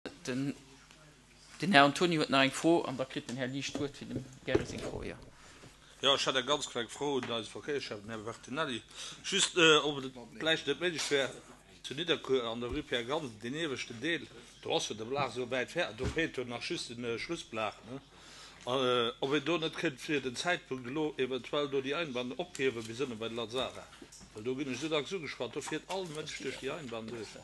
Den Här Antoni huet nach eng Fro an da kritt den Här Liesch d'Wuert fir dem Gary seng Fro. Jo. Jo, ech hätt eng ganz kleng Fro un eise Verkéierschäffen, den Här Bertinelli. Just, ob et vläicht net méiglech wär, zu Nidderkuer an der Rue Pierre Gansen, deen ieweschten Deel, do ass jo de Blag esou wäit fäerdeg, do feelt jo nach just de Schlussblag, ne, ob een do net kéint fir den Zäitpunkt elo eventuell do déi Einbahn ophiewe bis ënne bei de Lazara, well do ginn ech esou dacks ugeschwat, do fiert all Mënsch duerch déi Einbahn duerch.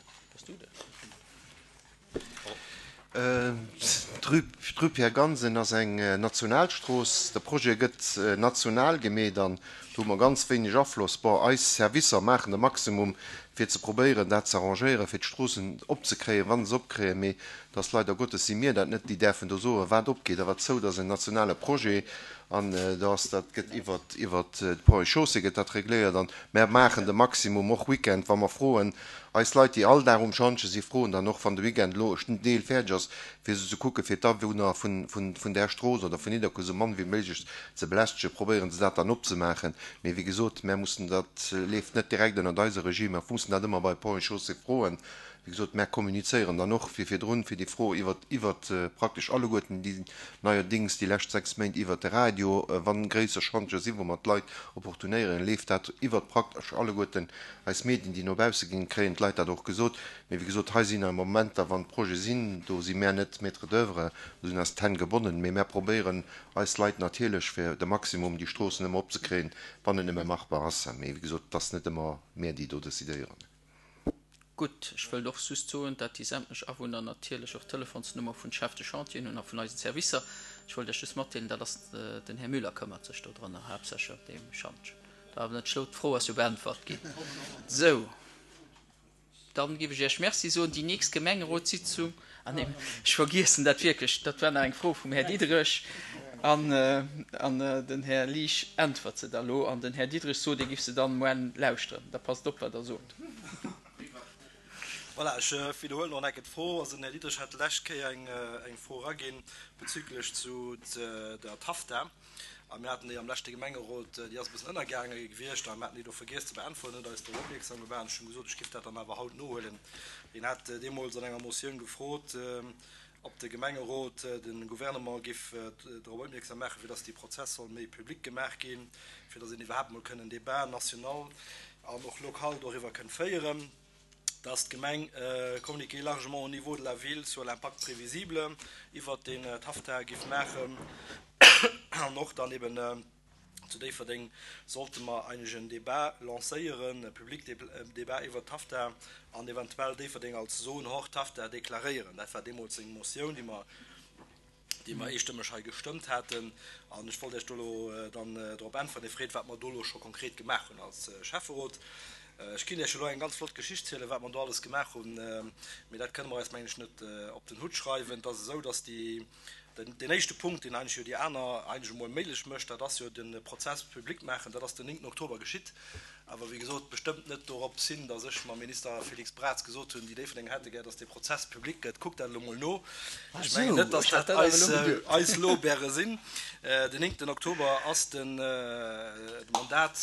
D'Rue Pierre Gansen ass eng Nationalstrooss. De Projet gëtt national gemeet an do hu mer ganz wéineg Afloss. Bon, eis Servicer maachen de Maximum, fir ze probéieren, dat ze arrangéieren, fir d'Stroossen opzekréien, wa se opkréien. Mee et ass leider Gottes si mir dat net, déi däerfen do soen, wat opgeet a wat zou. Dat ass en nationale Projet an do ass dat gëtt iwwert iwwert d'Ponts et Chaussées gëtt dat regléiert an mär maachen de Maximum, och Weekend, wa mer froen, Eis Leit, déi all Dag um Schantje si froen dann och, wann de Weekend elo en Deel fäerdeg ass, fir se ze kucken, fir d'Awunner vun där Strooss oder vun Nidderkuer esou mann wéi méiglech ze belästegen, probéieren se dat dann opzemaachen. Mee wéi gesot, mär mussen, dat leeft net direkt ënnert eise Regie, mer mussen dat ëmmer bei Ponts et Chaussées froen. Wéi gesot, mär kommunizéieren dann och wéi virdrun fir déi Fro iwwert, iwwert praktesch alleguerten déi neierdings déi lescht 6 Méint iwwert de Radio, wann gréisser Schantje sinn, wou mer d'Leit opportunéieren, leeft dat iwwert praktesch alleguerten Eis Medien, déi no bausse ginn, kréien d'Leit dat och gesot. Mee wéi gesot, hei sinn awer Momenter, wann Projete sinn, do si mär net Maître d'oeuvre, do sinn eis d'Hänn gebonnen. Mee mär probéieren eis Leit natierlech fir de Maximum déi Stroossen ëmmer opzekréien, wann et nëmme machbar ass. Mee wéi gesot, et ass net ëmmer mär, déi do decidéieren. Gutt, ech wëllt och just soen, dat déi sämtlech Awunner natierlech och d'Telefonsnummer vun Chef de Chantieren hunn a vun eisen Servicer. Ech wollt Iech just matdeelen, dat ass den Här Müller këmmert sech do drënner haaptsächlech ëm dee Schantjen. Dat awer net schlou, d'Fro ass jo beäntwert ginn. Sou, dann géif ech Iech Merci soen. Déi nächst Gemengerotssitzung, ah nee, ech vergiessen dat wierklech, dat war nach eng Fro vum Här Diderich an den Här Liesch äntwert se da lo an den Här Diderich sot, e giff se dann moarn lauschteren. Da passt op wat Der sot. Voilà, ech widderhuelen och nach eng Kéier d'Fro. Also den Här Diderich hat d'lescht Kéier eng Fro eraginn bezüglech zu der TAFTA. A mir haten déi am leschte Gemengerot, déi ass e bëssen ënnergaange gewiescht a mir haten déi do vergiess ze beäntweren, huet eis drop opmierksam gemaach an ech hunn gesot, ech géif dat dann awer haut nohuelen. Hien hat deemools an enger Motioun gefrot, ob de Gemengerot de Gouvernement géif drop opmierksam maachen, fir dass dee Prozess soll méi public gemaach ginn, fir dass een iwwerhaapt emol kënn en Débat national an och local doriwwer kënn féieren. dass d'Gemeng communiquer largement au niveau de la ville sur l'impact prévisible iwwert deen TAFTA giff maachen an och dann eben zu Déifferdeng sollte mer eigentlech en Débat lancéieren, e public Débat iwwert d'TAFTA an eventuell Déifferdeng als Zone hors TAFTA deklaréieren. Dat war deemools seng Motioun, déi mer déi mer eestëmmeg hei gestëmmt haten. An ech wollt Iech do elo dann drop äntweren. Dir freet, wat mer do elo scho konkret gemaach hunn als Schäfferot. Ech kinnt Iech elo eng ganz flott Geschicht zielen, wat mer do alles gemaach hunn, mee dat kënne mer eis, mengen ech, net op den Hutt schreiwen. Et ass esou, dass déi, deen éischte Punkt, deen eigentlech jo déi aner eigentlech emol méiglech mécht, dat ass jo de Prozess public maachen. Dat ass den 9. Oktober geschitt. Awer wéi gesot, bestëmmt net dorops hin, datt ech mam Minister Félix Braz gesot hunn, déi Déifferdenger hätte gär, datt dee Prozess public gëtt. Kuckt dat elo mol no. Ech mengen net, datt dat eis Lorbeere sinn. Den 9 Oktober ass de Mandat,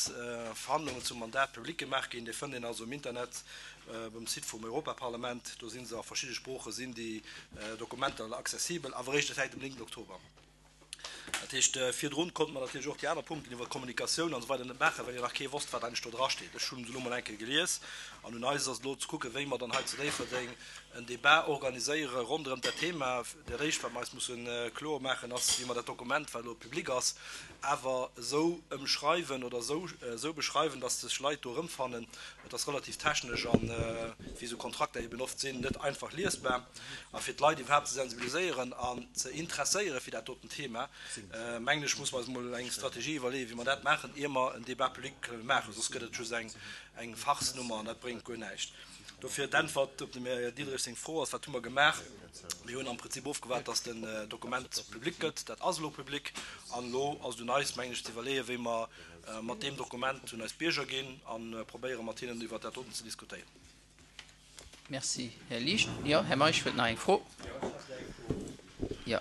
Verhandlungen zum Mandat public gemaach ginn. Dee fënnt een also um Internet beim Site vum Europaparlament. Do si se a verschidde Sprooche sinn déi Dokumenter accessibel, awer eréischt säit dem 9 Oktober. Dat heescht, virdrun konnte mer natierlech och déi aner Punkten iwwer d'Kommunikatioun an esou weider net maachen, well jo nach kee wosst, wat eigentlech do drasteet. Ech hunn se elo mol eng Kéier gelies an un eis ass et elo ze kucken, wéi mer dann hei zu Déifferdeng en Débat organiséiere ronderëm dat Thema. Dat Éischt, wat mer eis musse kloer maachen, ass, wéi mer dat Dokument, wat elo public ass, awer esou ëmschreiwen oder esou beschreiwen, dass sech Leit do erëmfannen. Et ass relativ technesch an, wéi esou Kontrakter eben oft sinn, net einfach liesbar. A fir d'Leit iwwerhaapt ze sensibiliséieren an ze interesséiere fir dat doten Thema, mengen ech, muss mer eis emol eng Strategie iwwerleeën, wéi mer dat maachen, ier mer en Débat public kënnen maachen. Soss gëtt et just eng Farce-Nummer an dat bréngt guer näischt. Dofir d'Äntwert op dem Här Diderich seng Fro ass, Wat hu mer gemaach? Mir hunn am Prinzip ofgewaart, dass den Dokument public gëtt. Dat ass elo public. An elo ass et un eis, mengen ech, ze iwwerleeën, wéi mer mat deem Dokument un eis Bierger ginn a probéieren, mat hinnen iwwert dat doten ze diskutéieren. Merci, Här Liesch. Jo, Här Meisch huet nach eng Fro. Jo.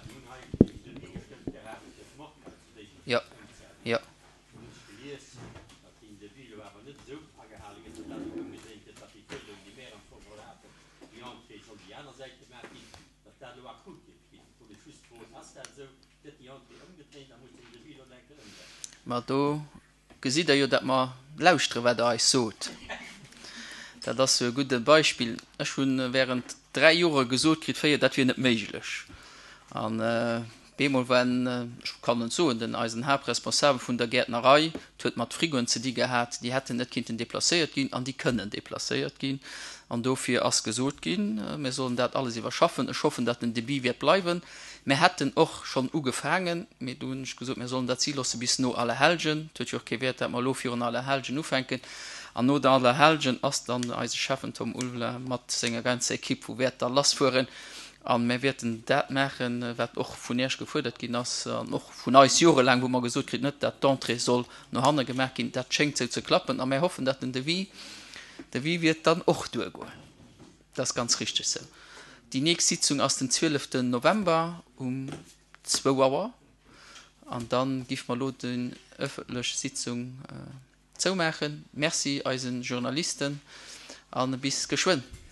Jo. Jo. Ma do gesitt Der jo, datt mer lauschteren, wat Der eis sot. Dat ass jo e gudde Beispill. Ech hu während dräi Jore gesot kritt, féier dat wier net méiglech. An bemol war en, ech kann et soen, den eisen Haaptresponsabel vun der Gäertnerei, et huet mat Frigoen ze di gehat, déi hätten net kinnten deplacéiert ginn an déi kënnen deplacéiert ginn. An dofir ass gesot ginn, mir sollen dat alles iwwerschaffen. Ech hoffen, datt den Debit wäert bleiwen. Mir hätten och schonn ugefaangen, mee do hunn ech gesot, mir sollen dat si loosse bis no Allerhellgen. Et huet jo och kee Wäert, dat mer elo virun Allerhellgen ufänken. An no der Allerhellgen ass dann eise Schäffen Tom Ulveler mat senger ganzer Equipe, wou wäert da lassfueren. A mir wäerten dat maachen, wat och vun Iech gefuerdert ginn ass an och vun eis jorelaang, wou mer gesot kritt, net dat d'Entrée soll no hanne gemaach ginn. Dat schéngt sou ze klappen a mir hoffen, dat den Devis, Devis wiert dann och duergoen. Dat ass ganz richteg sou. Déi nächst Sitzung ass den 12 November um zwou Auer. An da giff mer elo déi ëffentlech Sitzung zoumaachen. Merci eise Journalisten a bis geschwënn.